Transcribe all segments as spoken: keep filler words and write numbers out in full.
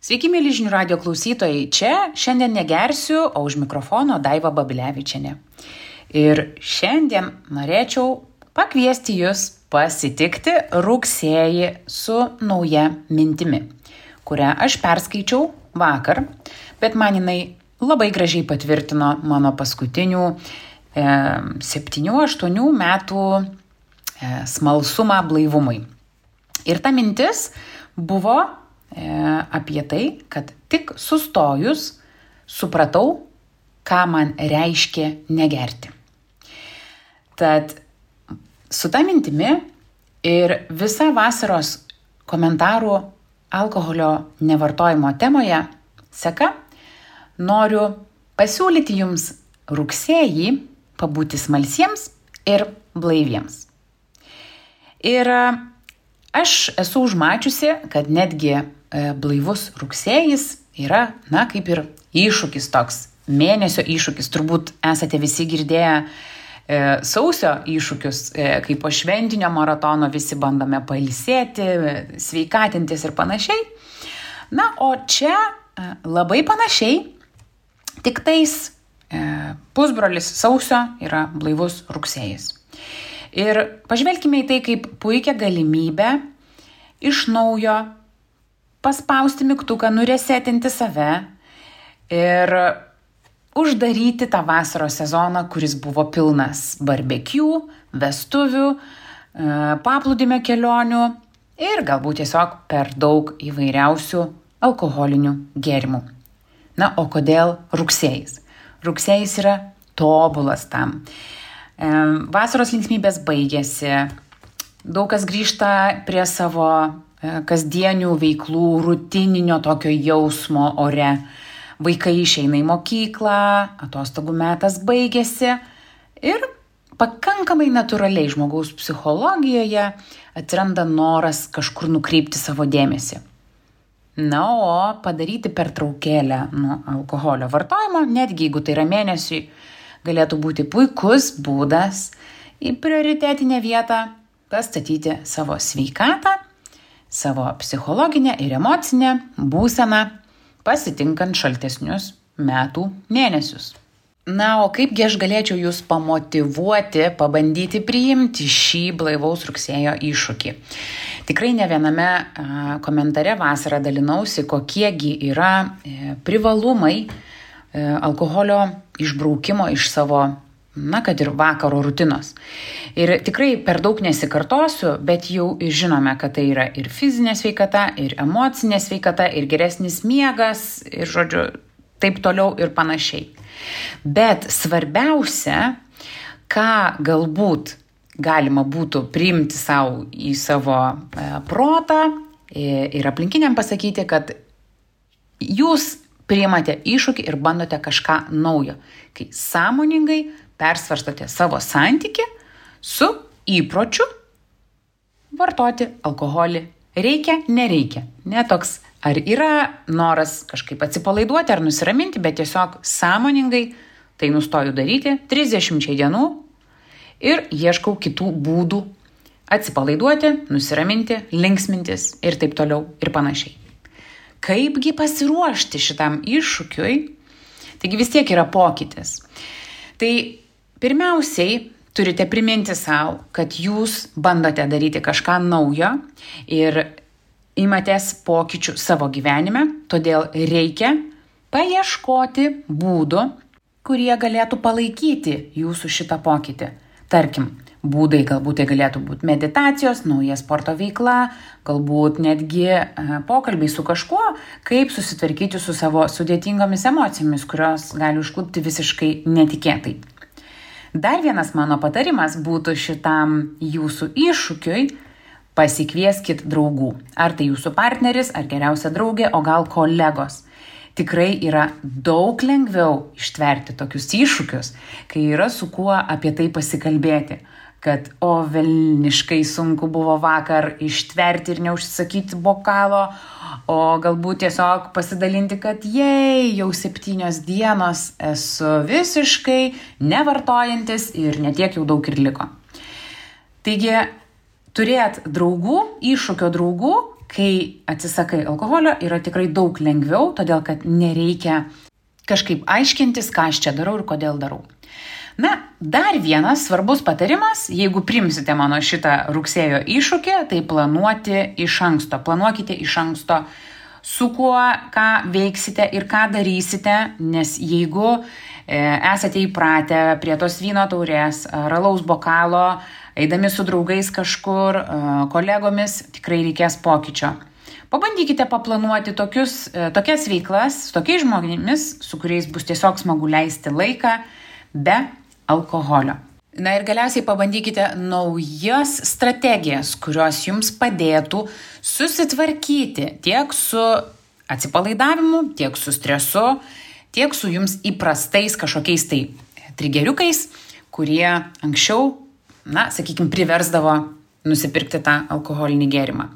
Sveiki, mėly žinių radio klausytojai. Čia šiandien negersiu, o už mikrofono Daiva Babilevičienė. Ir šiandien norėčiau pakviesti jūs pasitikti rugsėjį su nauja mintimi, kurią aš perskaičiau vakar, bet man jinai labai gražiai patvirtino mano paskutinių e, septynių aštuonių metų e, smalsumą blaivumui. Ir ta mintis buvo apie tai, kad tik sustojus supratau, ką man reiškia negerti. Tad su ta mintimi ir visa vasaros komentarų alkoholio nevartojimo temoje seka, noriu pasiūlyti jums rugsėjį pabūti smalsiems ir blaiviems. Ir aš esu užmačiusi, kad netgi blaivus rugsėjis yra, na, kaip ir iššūkis toks, mėnesio iššūkis. Turbūt esate visi girdėję e, sausio iššūkius, e, kai po šventinio maratono visi bandome pailsėti, sveikatintis ir panašiai. Na, o čia e, labai panašiai, tik tais e, pusbrolis sausio yra blaivus rugsėjis. Ir pažvelkime į tai kaip puikią galimybę iš naujo paspausti mygtuką, nuresetinti save ir uždaryti tą vasaros sezoną, kuris buvo pilnas barbekių, vestuvių, paplūdimio kelionių ir galbūt tiesiog per daug įvairiausių alkoholinių gėrimų. Na, o kodėl rugsėjis? Rugsėjis yra tobulas tam. Vasaros linksmybės baigėsi, daug kas grįžta prie savo kasdienių veiklų, rutininio tokio jausmo ore. Vaikai išeina į mokyklą, atostogų metas baigėsi ir pakankamai natūraliai žmogaus psichologijoje atsiranda noras kažkur nukreipti savo dėmesį. Na, o padaryti pertraukėlę nuo alkoholio vartojimo, netgi jeigu tai yra mėnesiui, galėtų būti puikus būdas į prioritetinę vietą pastatyti savo sveikatą, savo psichologinę ir emocinę būseną, pasitinkant šaltesnius metų mėnesius. Na, o kaipgi aš galėčiau jūs pamotyvuoti, pabandyti priimti šį blaivaus rugsėjo iššūkį. Tikrai ne viename a, komentare vasarą dalinausi, kokiegi yra e, privalumai e, alkoholio išbraukimo iš savo, na, kad ir vakaro rutinos. Ir tikrai per daug nesikartosiu, bet jau žinome, kad tai yra ir fizinė sveikata, ir emocinė sveikata, ir geresnis miegas, ir, žodžiu, taip toliau ir panašiai. Bet svarbiausia, ką galbūt galima būtų priimti savo į savo e, protą ir aplinkiniam pasakyti, kad jūs priimate iššūkį ir bandote kažką naujo, kai sąmoningai persvarstote savo santykį su įpročiu vartoti alkoholį. Reikia, nereikia. Ne toks, ar yra noras kažkaip atsipalaiduoti ar nusiraminti, bet tiesiog sąmoningai tai nustoju daryti trisdešimčiai dienų ir ieškau kitų būdų atsipalaiduoti, nusiraminti, linksmintis ir taip toliau ir panašiai. Kaipgi pasiruošti šitam iššūkiui? Taigi vis tiek yra pokytis. Tai pirmiausiai turite priminti savo, kad jūs bandote daryti kažką naujo ir imatės pokyčių savo gyvenime, todėl reikia paieškoti būdų, kurie galėtų palaikyti jūsų šitą pokytį. Tarkim, būdai galbūt tai galėtų būti meditacijos, nauja sporto veikla, galbūt netgi pokalbiai su kažkuo, kaip susitvarkyti su savo sudėtingomis emocijomis, kurios gali užklupti visiškai netikėtai. Dar vienas mano patarimas būtų šitam jūsų iššūkiui: pasikvieskit draugų. Ar tai jūsų partneris, ar geriausia draugė, o gal kolegos. Tikrai yra daug lengviau ištverti tokius iššūkius, kai yra su kuo apie tai pasikalbėti. Kad o velniškai sunku buvo vakar ištverti ir neužsisakyti bokalo, o galbūt tiesiog pasidalinti, kad jei jau septynios dienos esu visiškai nevartojantis ir netiek jau daug ir liko. Taigi, turėt draugų, iššūkio draugų, kai atsisakai alkoholio, yra tikrai daug lengviau, todėl kad nereikia kažkaip aiškintis, ką aš čia darau ir kodėl darau. Na, dar vienas svarbus patarimas, jeigu primsite mano šitą rugsėjo iššūkį, tai planuoti iš anksto. Planuokite iš anksto, su kuo, ką veiksite ir ką darysite, nes jeigu e, esate įpratę prie tos vyno taurės ar alaus bokalo, eidami su draugais kažkur, e, kolegomis, tikrai reikės pokyčio. Pabandykite paplanuoti tokius, e, tokias veiklas su tokiais žmonėmis, su kuriais bus tiesiog smagu leisti laiką be alkoholio. Na ir galiausiai pabandykite naujas strategijas, kurios jums padėtų susitvarkyti tiek su atsipalaidavimu, tiek su stresu, tiek su jums įprastais kažkokiais tai trigeriukais, kurie anksčiau, na, sakykime, priversdavo nusipirkti tą alkoholinį gėrimą.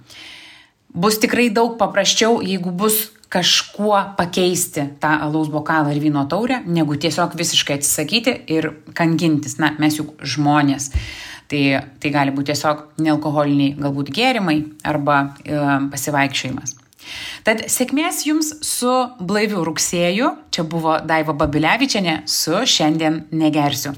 Bus tikrai daug paprasčiau, jeigu bus kažkuo pakeisti tą alaus bokalą ir vyno taurę, negu tiesiog visiškai atsisakyti ir kankintis. Na, mes juk žmonės. Tai, tai gali būti tiesiog nealkoholiniai galbūt gėrimai arba e, pasivaikščiojimas. Tad sėkmės jums su blaiviu rugsėju. Čia buvo Daiva Babilevičienė su Šiandien negersiu.